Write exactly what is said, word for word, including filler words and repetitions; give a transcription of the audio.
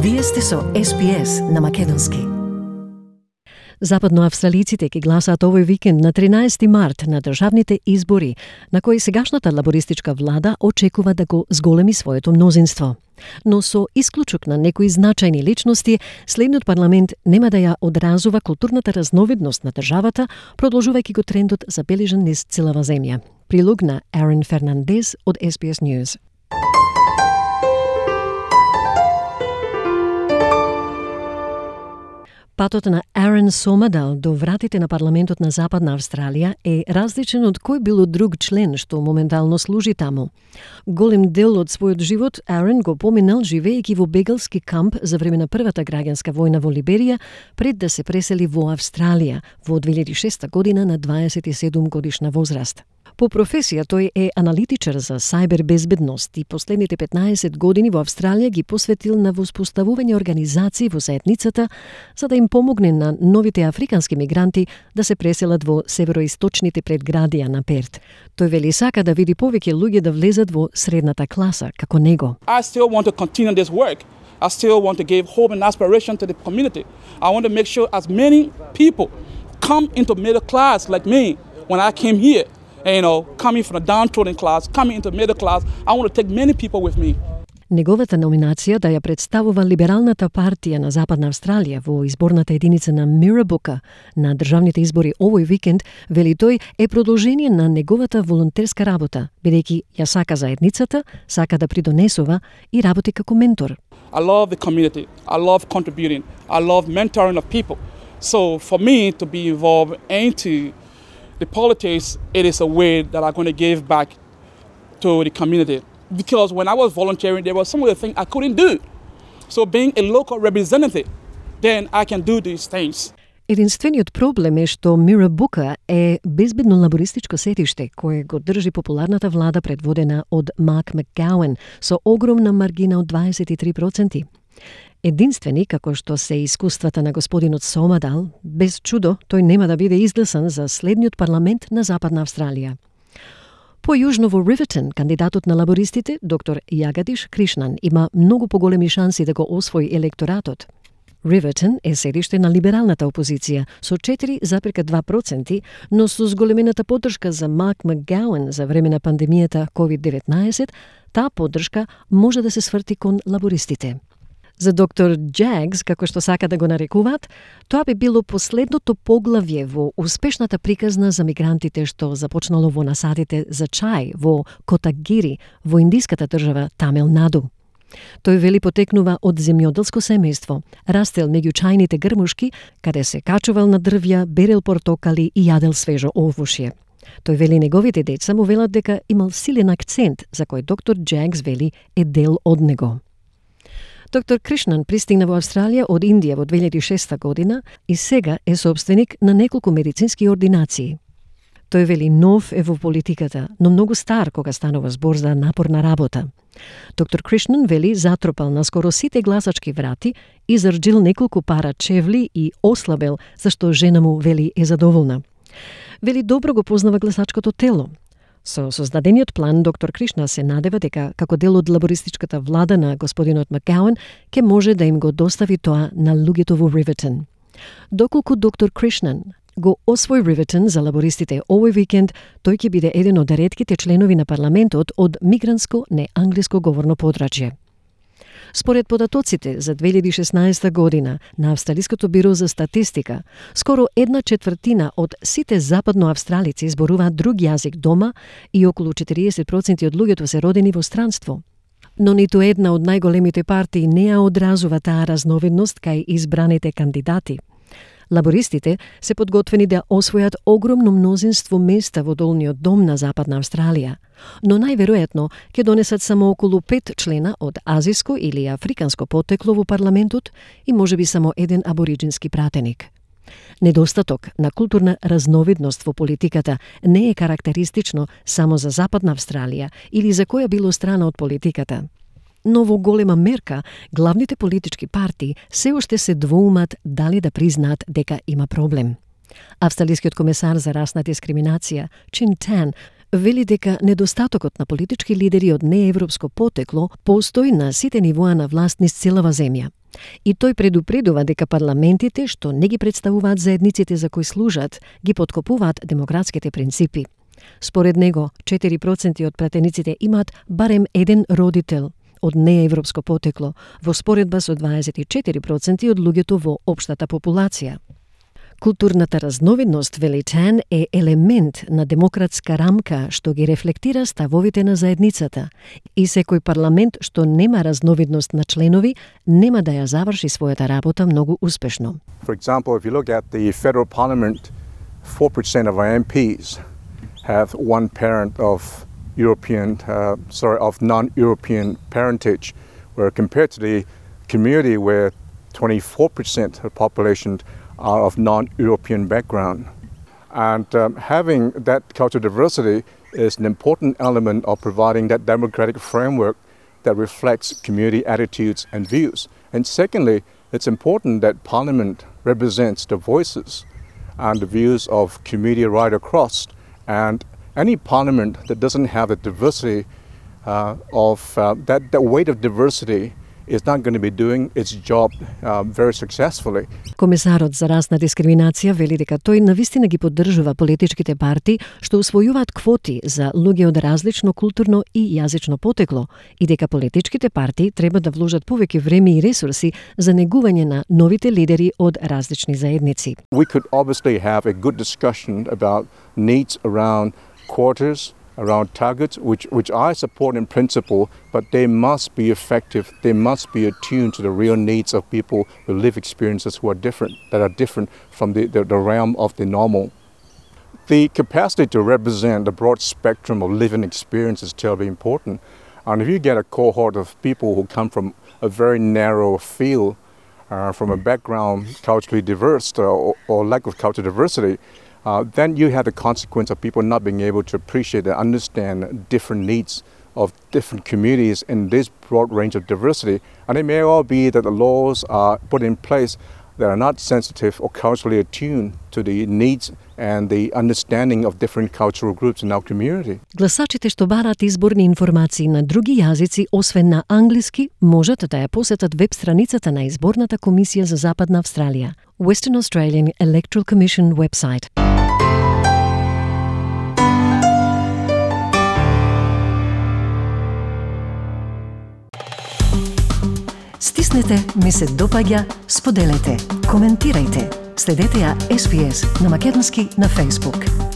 Вие сте со Ес Би Ес на македонски. Западноавстралиците ќе гласаат овој викенд на тринаесети март на државните избори, на кои сегашната лабористичка влада очекува да го зголеми своето мнозинство. Но со исклучок на некои значајни личности, следниот парламент нема да ја одразува културната разновидност на државата, продолжувајќи го трендот забележан низ целава земја. Прилог на Арен Фернандес од Ес Би Ес News. Патот на Арен Сомадал до вратите на парламентот на Западна Австралија е различен од кој било друг член што моментално служи таму. Голем дел од својот живот Арен го поминал живеејќи во бегалски камп за време на првата граѓанска војна во Либерија, пред да се пресели во Австралија во две илјади и шеста година на дваесет и седум годишна возраст. По професија тој е аналитичар за сајбербезбедност и последните петнаесет години во Австралија ги посветил на воспоставување организации во заедницата за да им помогне на новите африкански мигранти да се преселат во североисточните предградија на Перт. Тој вели сака да види повеќе луѓе да влезат во средната класа како него. I still want to continue this work. I still want to give hope and aspiration to the community. I want to make sure as many people come into middle class like me when I came here. And, you know, coming from the downtrodden class, coming into middle class, I want to take many people with me. Неговата номинација да ја представува Либералната партија на Западна Австралија во изборната единица на Мирабука на државните избори овој викенд, вели тој, е продолжение на неговата волонтерска работа, бидејќи ја сака заедницата, сака да придонесува и работи како ментор. I love the community. I love contributing. I love mentoring of people. So for me to be involved into the politics, it is a way that I'm going to give back to the community. Because when I was volunteering, there were some of the things I couldn't do. So being a local representative, then I can do these things. Единствениот проблем е што Мирабука е безбедно лабористичко сетиште кое го држи популарната влада предводена од Мак Макгауен со огромна маргина од дваесет и три проценти. Единствени, како што се искуствата на господинот Сомадал, без чудо, тој нема да биде изгласан за следниот парламент на Западна Австралија. Појужно во Ривертон, кандидатот на лабористите, доктор Јагадиш Кришнан, има многу поголеми шанси да го освои електоратот. Ривертон е седиште на либералната опозиција со четири зарез два проценти, но со зголемената поддршка за Мак Макгауен за време на пандемијата ковид деветнаесет, таа поддршка може да се сврти кон лабористите. За доктор Джагс, како што сака да го нарекуваат, тоа би било последното поглавје во успешната приказна за мигрантите што започнало во насадите за чај во Котагири, во индиската држава Тамил Наду. Тој вели потекнува од земјоделско семејство, растел меѓу чајните грмушки, каде се качувал на дрвја, берел портокали и јадел свежо овошје. Тој вели неговите деца му велат дека имал силен акцент, за кој доктор Джагс вели е дел од него. Доктор Кришнан пристигна во Австралија од Индија во две илјади и шеста година и сега е собственик на неколку медицински ординации. Тој вели нов е во политиката, но многу стар кога станува збор за напорна работа. Доктор Кришнан вели затропал на скоро сите гласачки врати, изрџил неколку пара чевли и ослабел, зашто жена му вели е задоволна. Вели добро го познава гласачкото тело. Со создадениот план, доктор Кришна се надева дека како дел од лабористичката влада на господинот Макгауен ќе може да им го достави тоа на луѓето во Ривертон. Доколку доктор Кришнан го освои Ривертон за лабористите овој викенд, тој ќе биде еден од ретките членови на парламентот од мигрантско неанглиско говорно подрачје. Според податоците за две илјади и шеснаесета година на Австралиското биро за статистика, скоро една четвртина од сите западноавстралици зборуваат друг јазик дома и околу четириесет проценти од луѓето се родени во странство. Но ниту една од најголемите партии не ја одразува таа разновидност кај избраните кандидати. Лабористите се подготвени да освојат огромно мнозинство места во долниот дом на Западна Австралија, но најверојатно ќе донесат само околу пет члена од азиско или африканско потекло во парламентот и можеби само еден абориџински пратеник. Недостаток на културна разновидност во политиката не е карактеристично само за Западна Австралија или за која било страна од политиката. Но во голема мерка, главните политички партии се уште се двоумат дали да признаат дека има проблем. Австралискиот комесар за расна дискриминација, Чин Тан, вели дека недостатокот на политички лидери од неевропско потекло постои на сите нивоа на власт низ целава земја. И тој предупредува дека парламентите, што не ги представуваат заедниците за кои служат, ги поткопуваат демократските принципи. Според него, четири проценти од пратениците имаат барем еден родител од неевропско потекло, во споредба со дваесет и четири проценти од луѓето во општата популација. Културната разновидност, вели Тан, е елемент на демократска рамка што ги рефлектира ставовите на заедницата и секој парламент што нема разновидност на членови нема да ја заврши својата работа многу успешно. For example, if you look at the federal parliament, four percent of our M Ps have one parent of European, uh, sorry, of non-European parentage, where compared to the community where twenty-four percent of the population are of non-European background. And um, having that cultural diversity is an important element of providing that democratic framework that reflects community attitudes and views. And secondly, it's important that Parliament represents the voices and the views of community right across. And any Parliament that doesn't have the diversity uh, of uh, that, that weight of diversity is not going to be doing its job uh, very successfully. Комесарот за расна дискриминација вели дека тој навистина ги поддржува политичките партии што усвојуваат квоти за луѓе од различно културно и јазично потекло и дека политичките партии треба да вложат повеќе време и ресурси за негување на новите лидери од различни заедници. We could obviously have a good discussion about needs around quotas, around targets, which, which I support in principle, but they must be effective. They must be attuned to the real needs of people with lived experiences who are different, that are different from the, the, the realm of the normal. The capacity to represent a broad spectrum of living experience is terribly important. And if you get a cohort of people who come from a very narrow field, uh, from a background culturally diverse uh, or, or lack of cultural diversity, Uh, then you have the consequence of people not being able to appreciate and understand different needs of different communities in this broad range of diversity. And it may all be that the laws are put in place that are not sensitive or culturally attuned to the needs and the understanding of different cultural groups in our community. Гласачите што бараат изборни информации на други јазици, освен на англиски, можат да ја посетат веб страницата на Изборната комисија за Западна Австралија, Western Australian Electoral Commission website. Стиснете, ми се допаѓа, споделете, коментирајте. Следете ја Ес Би Ес на македонски на Facebook.